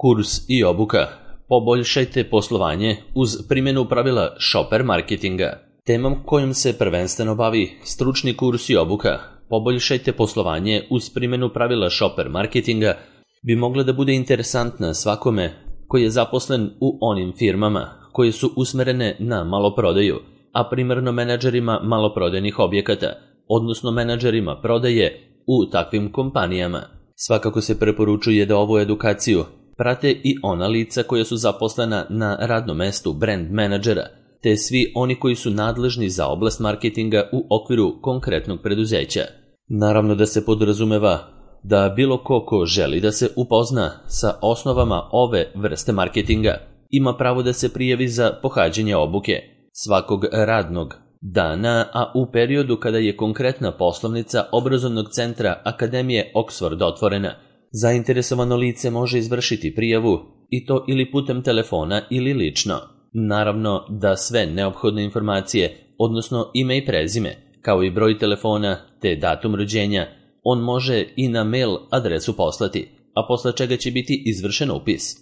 Kurs i obuka. Poboljšajte poslovanje uz primjenu pravila shopper marketinga. Temom kojom se prvenstveno bavi stručni kurs i obuka Poboljšajte poslovanje uz primjenu pravila shopper marketinga bi mogla da bude interesantna svakome koji je zaposlen u onim firmama koje su usmerene na maloprodaju, a primarno menadžerima maloprodajnih objekata, odnosno menadžerima prodaje u takvim kompanijama. Svakako se preporučuje da ovu edukaciju prate i ona lica koja su zaposlena na radnom mestu brand menadžera, te svi oni koji su nadležni za oblast marketinga u okviru konkretnog preduzeća. Naravno da se podrazumeva da bilo ko želi da se upozna sa osnovama ove vrste marketinga ima pravo da se prijavi za pohađanje obuke svakog radnog dana, a u periodu kada je konkretna poslovnica obrazovnog centra Akademije Oxford otvorena, zainteresovano lice može izvršiti prijavu i to ili putem telefona ili lično. Naravno da sve neophodne informacije, odnosno ime i prezime, kao i broj telefona te datum rođenja, on može i na mail adresu poslati, a posle čega će biti izvršen upis.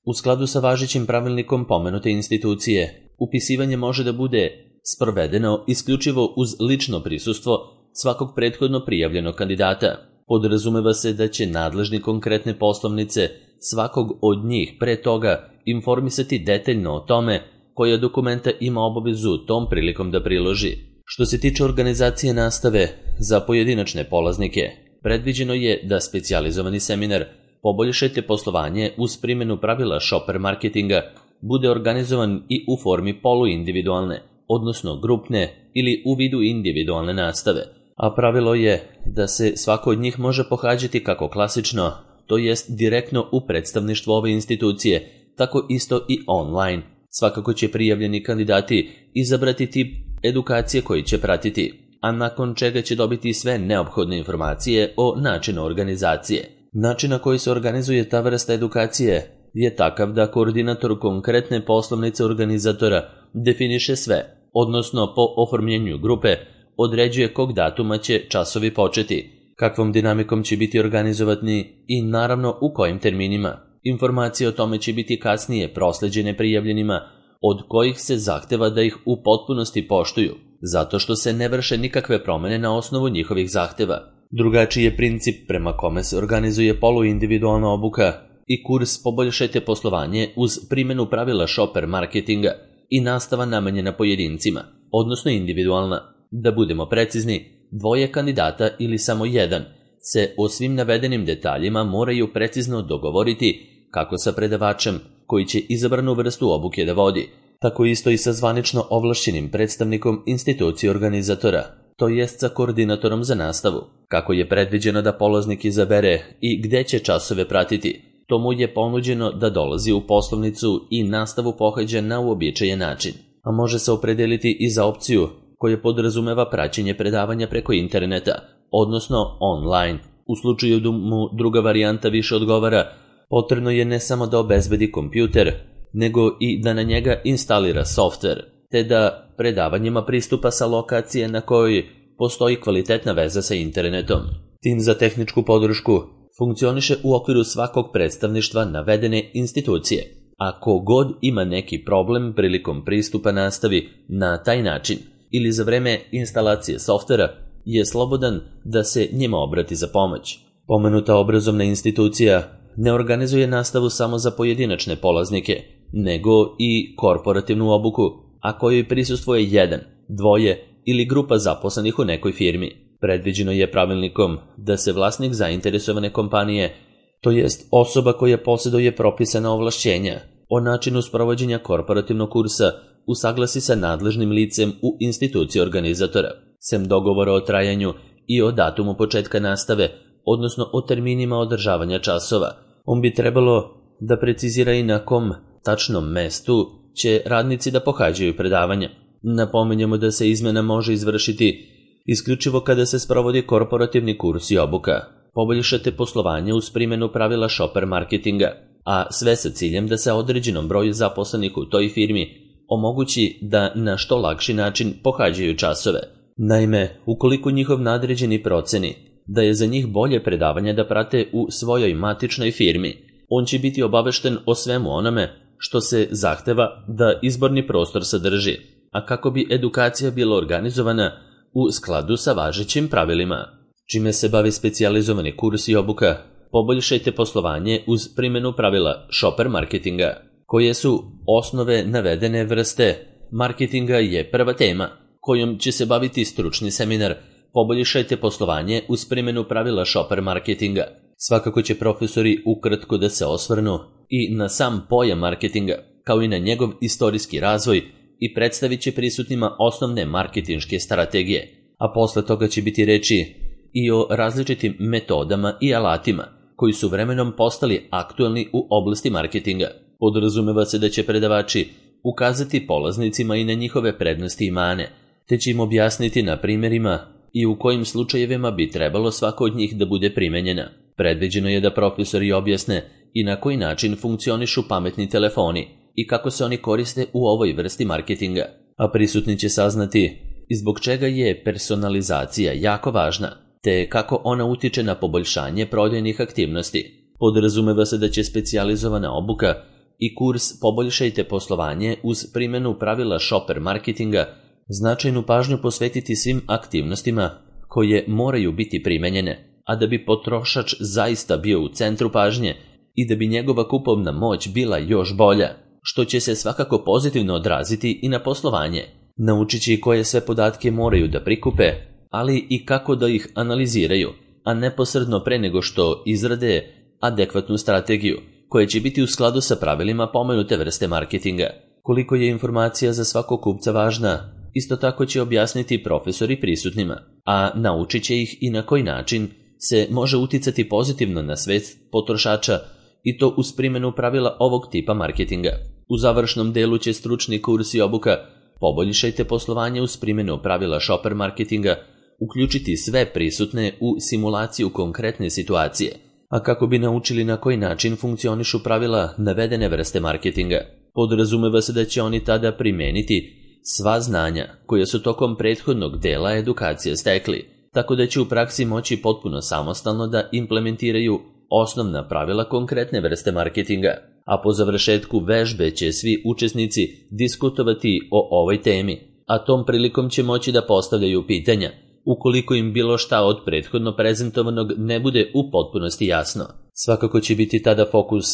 U skladu sa važećim pravilnikom pomenute institucije, upisivanje može da bude sprovedeno isključivo uz lično prisustvo svakog prethodno prijavljenog kandidata. Podrazumeva se da će nadležni konkretne poslovnice svakog od njih pre toga informisati detaljno o tome koja dokumenta ima obavezu tom prilikom da priloži. Što se tiče organizacije nastave za pojedinačne polaznike, predviđeno je da specijalizovani seminar Poboljšajte poslovanje uz primjenu pravila shopper marketinga bude organizovan i u formi poluindividualne, odnosno grupne ili u vidu individualne nastave, a pravilo je da se svako od njih može pohađati kako klasično, to jest direktno u predstavništvu ove institucije, tako isto i online. Svakako će prijavljeni kandidati izabrati tip edukacije koji će pratiti, a nakon čega će dobiti sve neophodne informacije o načinu organizacije. Način na koji se organizuje ta vrsta edukacije je takav da koordinator konkretne poslovnice organizatora definiše sve, odnosno po oformljenju grupe određuje kog datuma će časovi početi, kakvom dinamikom će biti organizovani i naravno u kojim terminima. Informacije o tome će biti kasnije prosleđene prijavljenima, od kojih se zahteva da ih u potpunosti poštuju, zato što se ne vrše nikakve promene na osnovu njihovih zahteva. Drugačiji je princip prema kome se organizuje poluindividualna obuka i kurs Poboljšajte poslovanje uz primjenu pravila shopper marketinga i nastava namenjena pojedincima, odnosno individualna. Da budemo precizni, dvoje kandidata ili samo jedan se o svim navedenim detaljima moraju precizno dogovoriti kako sa predavačem koji će izabranu vrstu obuke da vodi, tako isto i sa zvanično ovlašćenim predstavnikom institucije organizatora, to jest sa koordinatorom za nastavu. Kako je predviđeno da polaznik izabere i gde će časove pratiti, to mu je ponuđeno da dolazi u poslovnicu i nastavu pohađa na uobičajen način, a može se opredeliti i za opciju koja podrazumeva praćenje predavanja preko interneta, odnosno online. U slučaju da mu druga varijanta više odgovara, potrebno je ne samo da obezbedi kompjuter, nego i da na njega instalira softver, te da predavanjima pristupa sa lokacije na kojoj postoji kvalitetna veza sa internetom. Tim za tehničku podršku funkcioniše u okviru svakog predstavništva navedene institucije. Ako god ima neki problem prilikom pristupa nastavi na taj način ili za vreme instalacije softvera, je slobodan da se njima obrati za pomoć. Pomenuta obrazovna institucija ne organizuje nastavu samo za pojedinačne polaznike, nego i korporativnu obuku, a kojoj prisustvuje jedan, dvoje ili grupa zaposlenih u nekoj firmi. Predviđeno je pravilnikom da se vlasnik zainteresovane kompanije, to jest osoba koja posjeduje propisana ovlašćenja o načinu sprovođenja korporativnog kursa, usaglasi sa nadležnim licem u instituciji organizatora, sem dogovora o trajanju i o datumu početka nastave, odnosno o terminima održavanja časova. On bi trebalo da precizira i na kom tačnom mestu će radnici da pohađaju predavanja. Napominjemo da se izmena može izvršiti isključivo kada se sprovodi korporativni kurs i obuka. Poboljšate poslovanje uz primjenu pravila shopper marketinga, a sve sa ciljem da se određenom broju zaposlenih u toj firmi omogući da na što lakši način pohađaju časove. Naime, ukoliko njihov nadređeni proceni da je za njih bolje predavanje da prate u svojoj matičnoj firmi, On će biti obavešten o svemu onome što se zahteva da izborni prostor sadrži, a kako bi edukacija bila organizovana u skladu sa važećim pravilima. Čime se bavi specijalizovani kurs i obuka? Poboljšajte poslovanje uz primjenu pravila shopper marketinga. Koje su osnove navedene vrste marketinga je prva tema, kojom će se baviti stručni seminar Poboljšajte poslovanje uz primjenu pravila shopper marketinga. Svakako će profesori ukratko da se osvrnu i na sam pojam marketinga, kao i na njegov istorijski razvoj i predstavit će prisutnima osnovne marketinške strategije, a posle toga će biti reči i o različitim metodama i alatima koji su vremenom postali aktuelni u oblasti marketinga. Podrazumeva se da će predavači ukazati polaznicima i na njihove prednosti i mane, te će im objasniti na primjerima i u kojim slučajevima bi trebalo svako od njih da bude primenjena. Predviđeno je da profesori objasne i na koji način funkcionišu pametni telefoni i kako se oni koriste u ovoj vrsti marketinga, a prisutni će saznati i zbog čega je personalizacija jako važna, te kako ona utiče na poboljšanje prodajnih aktivnosti. Podrazumeva se da će specijalizovana obuka i kurs Poboljšajte poslovanje uz primjenu pravila shopper marketinga značajnu pažnju posvetiti svim aktivnostima koje moraju biti primenjene, a da bi potrošač zaista bio u centru pažnje i da bi njegova kupovna moć bila još bolja, što će se svakako pozitivno odraziti i na poslovanje. Naučit će koje sve podatke moraju da prikupe, ali i kako da ih analiziraju, a neposredno pre nego što izrade adekvatnu strategiju, koja će biti u skladu sa pravilima pomenute vrste marketinga. Koliko je informacija za svakog kupca važna, isto tako će objasniti profesori prisutnima, a naučit će ih i na koji način se može uticati pozitivno na svest potrošača i to uz primjenu pravila ovog tipa marketinga. U završnom delu će stručni kurs i obuka Poboljšajte poslovanje uz primjenu pravila shopper marketinga uključiti sve prisutne u simulaciju konkretne situacije, a kako bi naučili na koji način funkcionišu pravila navedene vrste marketinga. Podrazumeva se da će oni tada primeniti sva znanja koja su tokom prethodnog dela edukacije stekli, tako da će u praksi moći potpuno samostalno da implementiraju osnovna pravila konkretne vrste marketinga, a po završetku vežbe će svi učesnici diskutovati o ovoj temi, a tom prilikom će moći da postavljaju pitanja, ukoliko im bilo šta od prethodno prezentovanog ne bude u potpunosti jasno. Svakako će biti tada fokus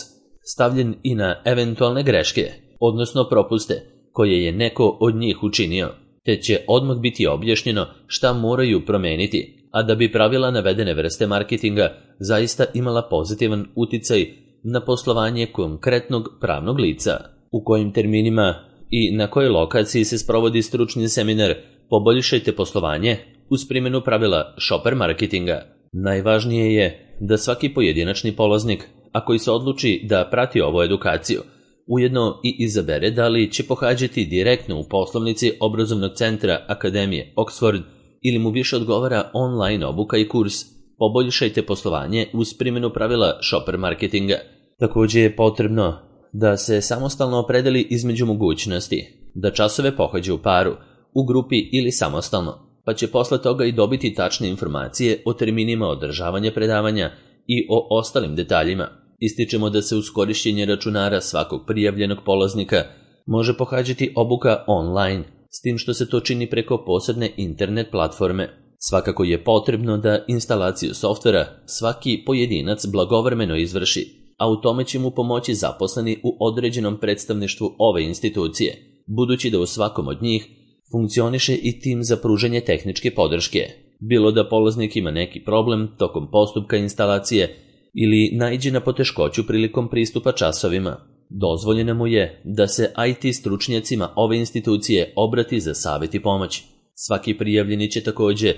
stavljen i na eventualne greške, odnosno propuste, koje je neko od njih učinio, te će odmah biti objašnjeno šta moraju promeniti, a da bi pravila navedene vrste marketinga zaista imala pozitivan uticaj na poslovanje konkretnog pravnog lica. U kojim terminima i na kojoj lokaciji se sprovodi stručni seminar Poboljšajte poslovanje uz primjenu pravila shopper marketinga. Najvažnije je da svaki pojedinačni polaznik, a koji se odluči da prati ovu edukaciju, ujedno i izabere da li će pohađati direktno u poslovnici obrazovnog centra Akademije Oxford ili mu više odgovara online obuka i kurs Poboljšajte poslovanje uz primjenu pravila shopper marketinga. Također je potrebno da se samostalno opredeli između mogućnosti da časove pohađa u paru, u grupi ili samostalno, pa će posle toga i dobiti tačne informacije o terminima održavanja predavanja i o ostalim detaljima. Ističemo da se uz korišćenje računara svakog prijavljenog polaznika može pohađati obuka online, s tim što se to čini preko posebne internet platforme. Svakako je potrebno da instalaciju softvera svaki pojedinac blagovremeno izvrši, a u tome će mu pomoći zaposleni u određenom predstavništvu ove institucije, budući da u svakom od njih funkcioniše i tim za pružanje tehničke podrške, bilo da polaznik ima neki problem tokom postupka instalacije ili naiđe na poteškoću prilikom pristupa časovima. Dozvoljeno mu je da se IT stručnjacima ove institucije obrati za savjet i pomoć. Svaki prijavljeni će također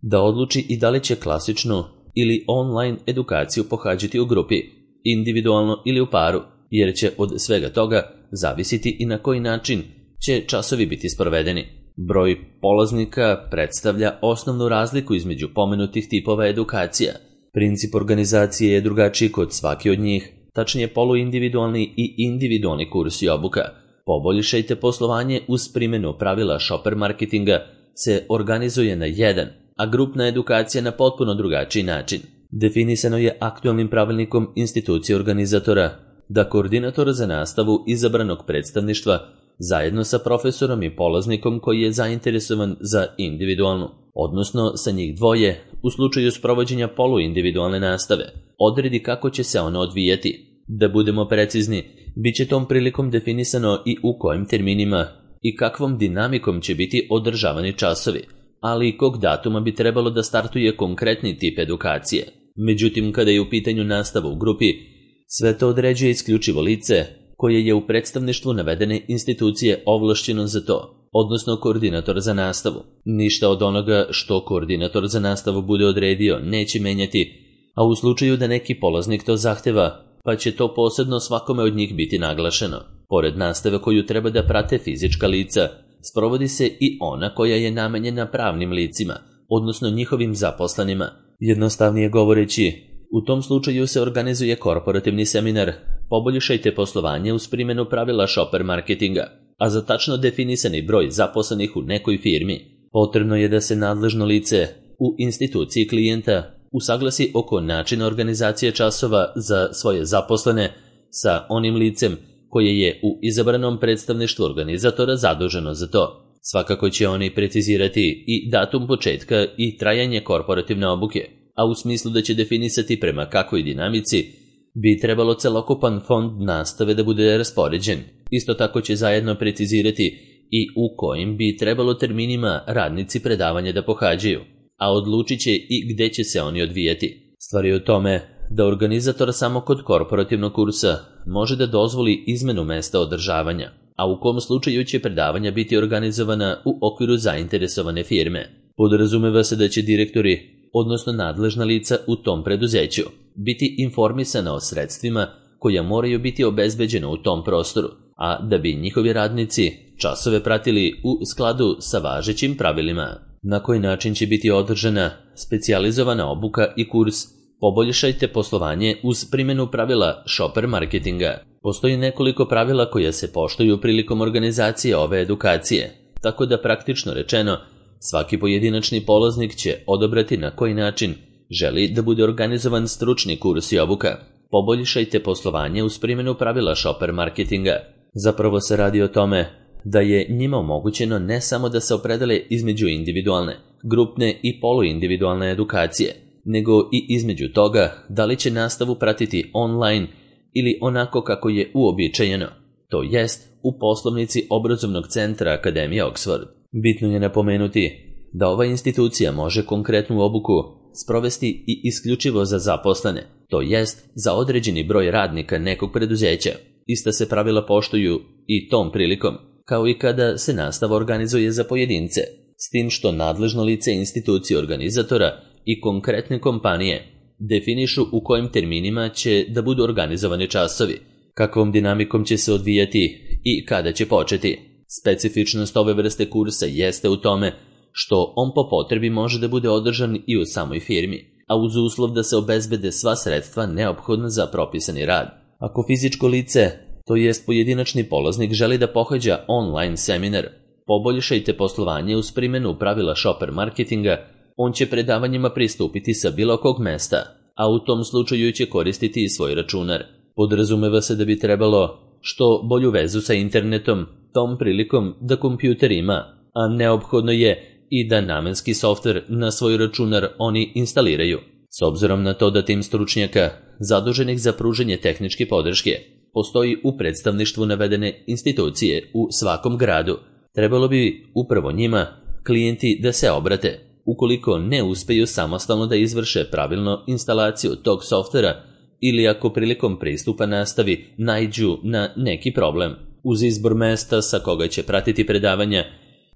da odluči i da li će klasičnu ili online edukaciju pohađati u grupi, individualno ili u paru, jer će od svega toga zavisiti i na koji način će časovi biti sprovedeni. Broj polaznika predstavlja osnovnu razliku između pomenutih tipova edukacija. Princip organizacije je drugačiji kod svake od njih, tačnije poluindividualni i individualni kurs i obuka. Poboljšajte poslovanje uz primjenu pravila shopper marketinga se organizuje na jedan, a grupna edukacija na potpuno drugačiji način. Definisano je aktualnim pravilnikom institucije organizatora da koordinator za nastavu izabranog predstavništva zajedno sa profesorom i polaznikom koji je zainteresovan za individualnu, odnosno sa njih dvoje, u slučaju sprovođenja poluindividualne nastave, odredi kako će se ona odvijati. Da budemo precizni, bit će tom prilikom definisano i u kojim terminima i kakvom dinamikom će biti održavani časovi, ali i kog datuma bi trebalo da startuje konkretni tip edukacije. Međutim, kada je u pitanju nastava u grupi, sve to određuje isključivo lice koje je u predstavništvu navedene institucije ovlašćeno za to, odnosno koordinator za nastavu. Ništa od onoga što koordinator za nastavu bude odredio neće menjati, a u slučaju da neki polaznik to zahteva, pa će to posebno svakome od njih biti naglašeno. Pored nastave koju treba da prate fizička lica, sprovodi se i ona koja je namenjena pravnim licima, odnosno njihovim zaposlenima. Jednostavnije govoreći, u tom slučaju se organizuje korporativni seminar Poboljšajte poslovanje uz primjenu pravila shopper marketinga, a za tačno definisani broj zaposlenih u nekoj firmi potrebno je da se nadležno lice u instituciji klijenta usaglasi oko načina organizacije časova za svoje zaposlene sa onim licem koje je u izabranom predstavništvu organizatora zaduženo za to. Svakako će oni precizirati i datum početka i trajanje korporativne obuke, a u smislu da će definisati prema kakvoj dinamici bi trebalo celokupan fond nastave da bude raspoređen. Isto tako će zajedno precizirati i u kojim bi trebalo terminima radnici predavanja da pohađaju, a odlučit će i gde će se oni odvijati. Stvar je u tome da organizator samo kod korporativnog kursa može da dozvoli izmenu mesta održavanja, a u kom slučaju će predavanja biti organizovana u okviru zainteresovane firme. Podrazumeva se da će direktori, odnosno nadležna lica u tom preduzeću, biti informisana o sredstvima koja moraju biti obezbeđena u tom prostoru, a da bi njihovi radnici časove pratili u skladu sa važećim pravilima. Na koji način će biti održana specijalizovana obuka i kurs Poboljšajte poslovanje uz primjenu pravila shopper marketinga. Postoji nekoliko pravila koja se poštuju prilikom organizacije ove edukacije, tako da praktično rečeno, svaki pojedinačni polaznik će odabrati na koji način želi da bude organizovan stručni kurs i obuka. Poboljšajte poslovanje uz primjenu pravila shopper marketinga. Zapravo se radi o tome da je njima omogućeno ne samo da se opredele između individualne, grupne i poluindividualne edukacije, nego i između toga da li će nastavu pratiti online ili onako kako je uobičajeno, to jest u poslovnici obrazovnog centra Akademije Oxford. Bitno je napomenuti da ova institucija može konkretnu obuku sprovesti i isključivo za zaposlene, to jest za određeni broj radnika nekog preduzeća. Ista se pravila poštuju i tom prilikom, kao i kada se nastava organizuje za pojedince, s tim što nadležno lice institucije organizatora i konkretne kompanije definišu u kojim terminima će da budu organizovani časovi, kakvom dinamikom će se odvijati i kada će početi. Specifičnost ove vrste kursa jeste u tome što on po potrebi može da bude održan i u samoj firmi, a uz uslov da se obezbede sva sredstva neophodna za propisani rad. Ako fizičko lice, to jest pojedinačni polaznik, želi da pohađa online seminar Poboljšajte poslovanje uz primjenu pravila shopper marketinga, on će predavanjima pristupiti sa bilo kog mesta, a u tom slučaju će koristiti i svoj računar. Podrazumeva se da bi trebalo što bolju vezu sa internetom, tom prilikom da kompjuter ima, a neophodno je i da namenski softver na svoj računar oni instaliraju. S obzirom na to da tim stručnjaka, zaduženih za pružanje tehničke podrške, postoji u predstavništvu navedene institucije u svakom gradu, trebalo bi upravo njima klijenti da se obrate, ukoliko ne uspeju samostalno da izvrše pravilno instalaciju tog softvera ili ako prilikom pristupa nastavi naiđu na neki problem. Uz izbor mesta sa koga će pratiti predavanja,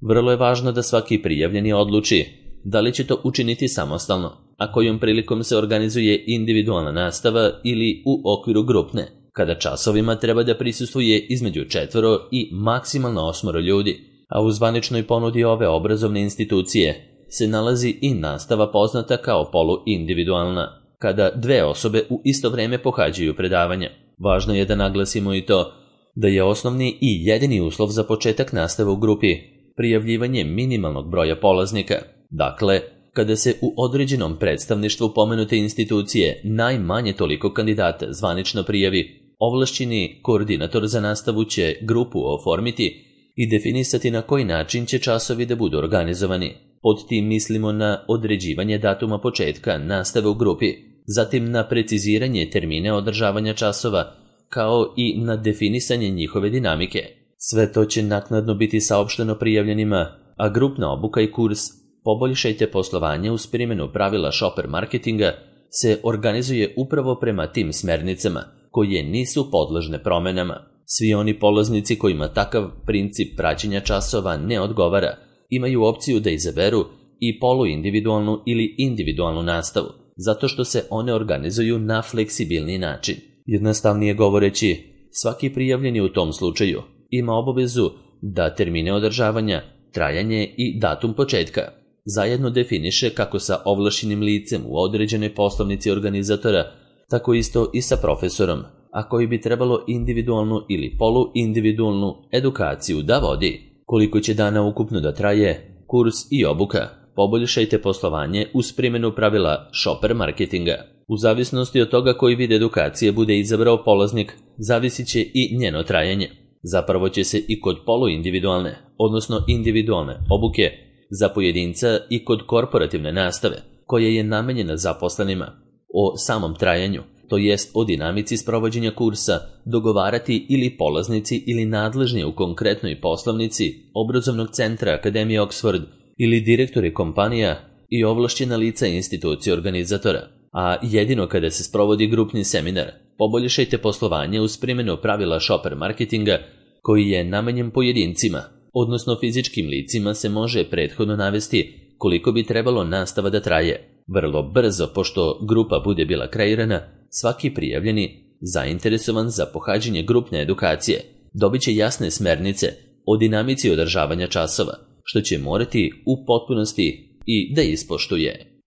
vrlo je važno da svaki prijavljeni odluči da li će to učiniti samostalno, a kojom prilikom se organizuje individualna nastava ili u okviru grupne, kada časovima treba da prisustvuje između 4 i maksimalno 8 ljudi, a u zvaničnoj ponudi ove obrazovne institucije se nalazi i nastava poznata kao poluindividualna, kada 2 osobe u isto vreme pohađaju predavanja. Važno je da naglasimo i to da je osnovni i jedini uslov za početak nastave u grupi prijavljivanje minimalnog broja polaznika. Dakle, kada se u određenom predstavništvu pomenute institucije najmanje toliko kandidata zvanično prijavi, ovlašćeni koordinator za nastavu će grupu oformiti i definisati na koji način će časovi da budu organizovani. Pod tim mislimo na određivanje datuma početka nastave u grupi, zatim na preciziranje termine održavanja časova, kao i na definisanje njihove dinamike. Sve to će naknadno biti saopšteno prijavljenima, a grupna obuka i kurs Poboljšajte poslovanje uz primjenu pravila shopper marketinga se organizuje upravo prema tim smernicama, koje nisu podložne promenama. Svi oni polaznici kojima takav princip praćenja časova ne odgovara, imaju opciju da izaberu i poluindividualnu ili individualnu nastavu, zato što se one organizuju na fleksibilni način. Jednostavnije govoreći, svaki prijavljeni u tom slučaju ima obavezu da termine održavanja, trajanje i datum početka zajedno definiše kako sa ovlašćenim licem u određenoj poslovnici organizatora, tako isto i sa profesorom, a koji bi trebalo individualnu ili poluindividualnu edukaciju da vodi. Koliko će dana ukupno da traje kurs i obuka Poboljšajte poslovanje uz primjenu pravila shopper marketinga. U zavisnosti od toga koji vid edukacije bude izabrao polaznik, zavisit će i njeno trajanje. Zapravo će se i kod poluindividualne, odnosno individualne obuke za pojedinca i kod korporativne nastave, koja je namenjena zaposlenima, o samom trajanju, to jest o dinamici sprovođenja kursa, dogovarati ili polaznici ili nadležni u konkretnoj poslovnici obrazovnog centra Akademije Oxford ili direktori kompanija i ovlašćena lica institucije organizatora. A jedino kada se sprovodi grupni seminar Poboljšajte poslovanje uz primjenu pravila shopper marketinga, koji je namenjen pojedincima, odnosno fizičkim licima, se može prethodno navesti koliko bi trebalo nastava da traje. Vrlo brzo, pošto grupa bude bila kreirana, svaki prijavljeni, zainteresovan za pohađanje grupne edukacije, dobit će jasne smernice o dinamici održavanja časova, što će morati u potpunosti i da ispoštuje.